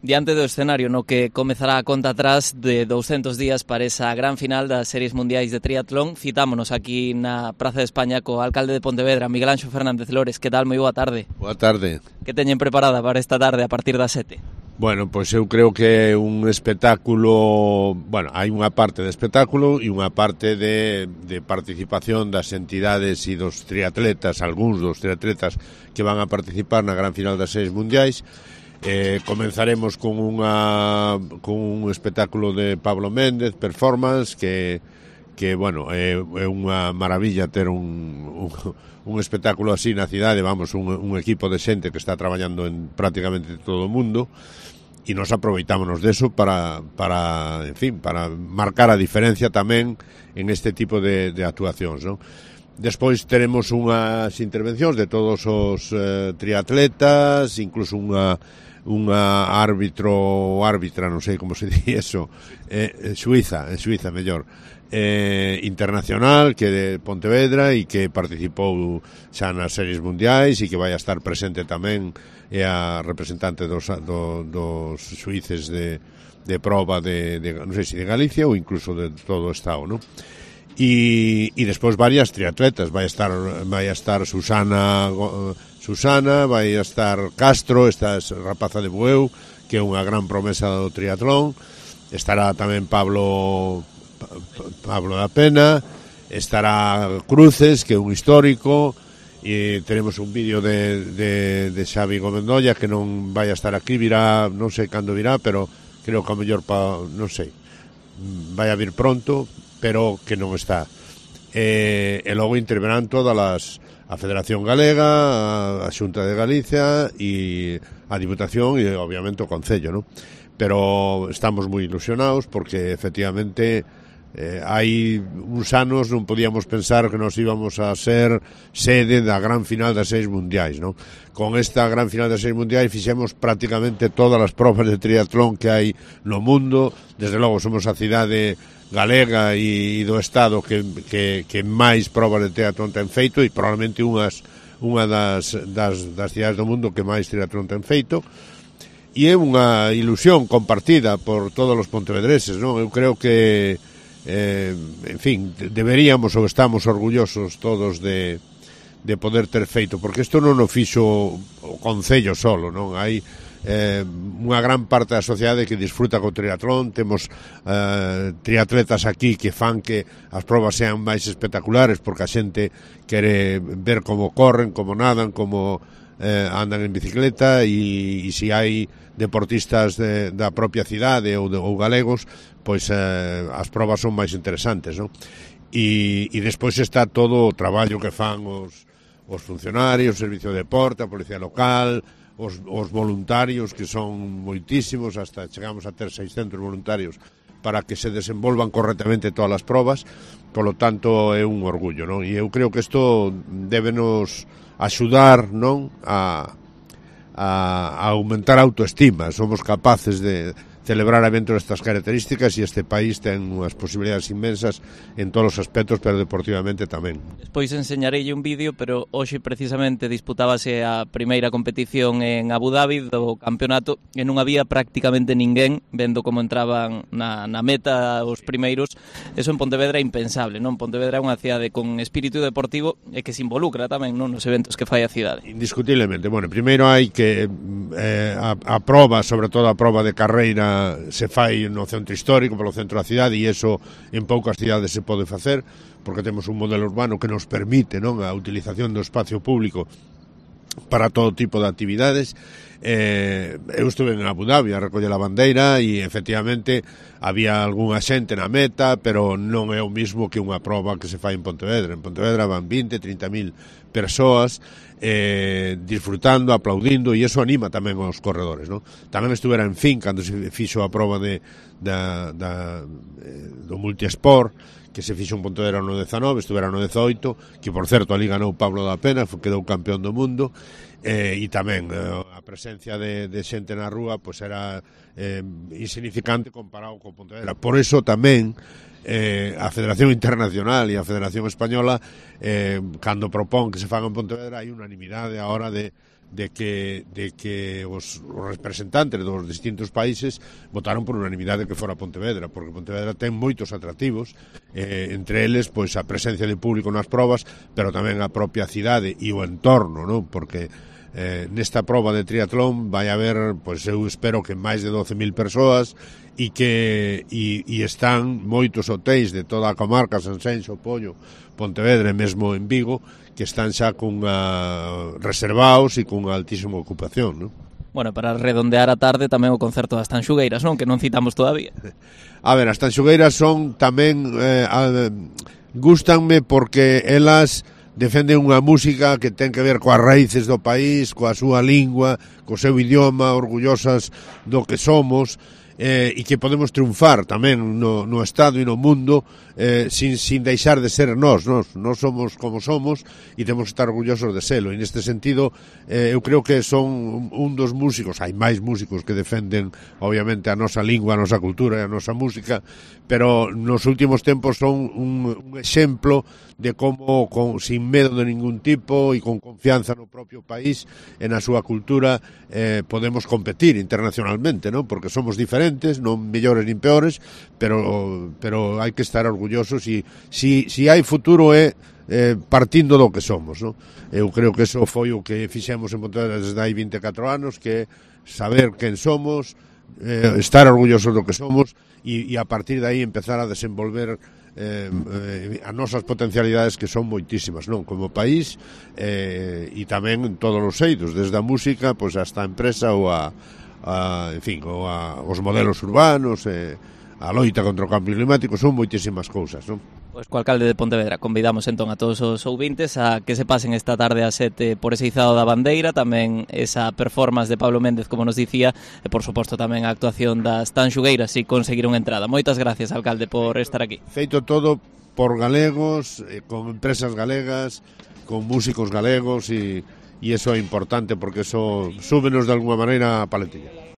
Diante do escenario no que comezará a conta atrás de 200 días para esa gran final das Series Mundiais de Triatlón, citámonos aquí na Praza de España co alcalde de Pontevedra, Miguel Anxo Fernández Lores. Que tal? Moi boa tarde. Boa tarde. Que teñen preparada para esta tarde a partir das 7? Bueno, pois eu creo que é un espectáculo, bueno, hai unha parte de espectáculo e unha parte de participación das entidades e dos triatletas, algúns dos triatletas que van a participar na gran final das Series Mundiais. Comenzaremos con un espectáculo de Pablo Méndez, Performance, que bueno, é unha maravilla ter un espectáculo así na cidade, vamos, un equipo de xente que está traballando en prácticamente todo o mundo, e nos aproveitámonos deso para marcar a diferencia tamén en este tipo de actuacións, non? Despois teremos unhas intervencións de todos os triatletas, incluso unha árbitra, non sei como se di eso, Suiza mellor, internacional, que de Pontevedra e que participou xa nas Series Mundiais e que vai a estar presente tamén, é a representante dos suíces de proba non sei se de Galicia ou incluso de todo o estado, non? E despois varias triatletas, vai a estar Susana, vai a estar Castro, esta rapaza de Bueu, que é unha gran promesa do triatlón, estará tamén Pablo da Pena, estará Cruces, que é un histórico, e teremos un vídeo de Xavi Gomendolla, que non vai a estar aquí, virá, non sei cando virá, pero creo que a mellor non sei, vai a vir pronto, pero que non está. E logo interverán todas a Federación Galega, a Xunta de Galicia e a Diputación e obviamente o Concello, non? Pero estamos moi ilusionados porque efectivamente hai uns anos non podíamos pensar que nos íbamos a ser sede da gran final das Series Mundiais, non? Con esta gran final das Series Mundiais fixemos prácticamente todas as probas de triatlón que hai no mundo. Desde logo somos a cidade galega e do estado que máis probas de triatlón ten feito e probablemente unha das cidades do mundo que máis triatlón ten feito, e é unha ilusión compartida por todos os pontevedreses, non? Eu creo que en fin, deberíamos ou estamos orgullosos todos de poder ter feito, porque isto non o fixo o Concello solo, non? Hai unha gran parte da sociedade que disfruta co triatlón, temos triatletas aquí que fan que as probas sean máis espectaculares porque a xente quere ver como corren, como nadan, como andan en bicicleta e se hai deportistas da propia cidade ou galegos, pois as probas son máis interesantes, non? E despois está todo o traballo que fan os funcionarios, o Servicio de Deporte, a Policía Local, os voluntarios, que son moitísimos, hasta chegamos a ter 600 voluntarios para que se desenvolvan correctamente todas as probas. Polo tanto, é un orgullo, non? E eu creo que isto débenos axudar, non, a aumentar a autoestima. Somos capaces de celebrar eventos destas características e este país ten unhas posibilidades inmensas en todos os aspectos, pero deportivamente tamén. Despois enseñareille un vídeo, pero hoxe precisamente disputábase a primeira competición en Abu Dhabi do campeonato e non había prácticamente ninguén vendo como entraban na meta os primeiros. Eso en Pontevedra é impensable, non? Pontevedra é unha cidade con espírito deportivo e que se involucra tamén, non, nos eventos que fai a cidade. Indiscutiblemente. Bueno, primeiro hai que a proba, sobre todo a proba de carreira, se fai no centro histórico, polo centro da cidade, e iso en poucas cidades se pode facer, porque temos un modelo urbano que nos permite, non, a utilización do espacio público para todo tipo de actividades. Eu estuve en Abu Dhabi a recoller a bandeira e efectivamente había algunha xente na meta, pero non é o mismo que unha proba que se fai en Pontevedra. En Pontevedra van 20-30.000 persoas disfrutando, aplaudindo, e iso anima tamén aos corredores, non? Tamén estuvera en fin cando se fixo a proba do multiesport, que se fixo en Pontevedra no 19, estuvera no 18, que por certo ali ganou Pablo da Pena, quedou campeón do mundo, e tamén a presencia de xente na rúa pois era insignificante comparado con Pontevedra. Por iso tamén a Federación Internacional e a Federación Española, cando propón que se faga en Pontevedra, hai unanimidade a hora de que os representantes dos distintos países votaron por unanimidade que fora Pontevedra, porque Pontevedra ten moitos atractivos, entre eles pois a presencia de público nas probas, pero tamén a propia cidade e o entorno, non? Porque nesta proba de triatlón vai haber, pois eu espero que máis de 12.000 persoas e que están moitos hotéis de toda a comarca, Sanxenxo, Poio, Pontevedra e mesmo en Vigo, que están xa reservados e con altísima ocupación, non? Bueno, para redondear a tarde tamén o concerto das Tanxugueiras, non? Que non citamos todavía. A ver, as Tanxugueiras son tamén gústanme porque elas defenden unha música que ten que ver coas raíces do país, coa súa lingua, co seu idioma, orgullosas do que somos, e que podemos triunfar tamén no Estado e no mundo sin deixar de ser nós somos como somos e temos que estar orgullosos de selo, e neste sentido eu creo que son un dos músicos, hai máis músicos que defenden obviamente a nosa lingua, a nosa cultura e a nosa música, pero nos últimos tempos son un exemplo de como sin medo de ningún tipo e con confianza no propio país e na súa cultura podemos competir internacionalmente, non? Porque somos diferentes, non mellores nin peores, pero hai que estar orgullosos e si hai futuro é partindo do que somos, non? Eu creo que eso foi o que fixemos en Pontevedra desde hai 24 anos, que é saber quen somos, estar orgullosos do que somos e a partir de aí empezar a desenvolver as nosas potencialidades, que son moitísimas, non? Como país e tamén en todos os eidos, desde a música pois hasta a empresa ou os modelos urbanos, a loita contra o cambio climático, son moitísimas cousas, non? Pois co alcalde de Pontevedra convidamos entón a todos os ouvintes a que se pasen esta tarde a 7 por ese izado da bandeira, tamén esa performance de Pablo Méndez, como nos dicía, e por suposto tamén a actuación das Tanxugueiras, si conseguiron entrada. Moitas gracias, alcalde, por estar aquí. Feito todo por galegos, con empresas galegas, con músicos galegos, e iso é importante porque eso súbenos de alguma maneira a paletilla.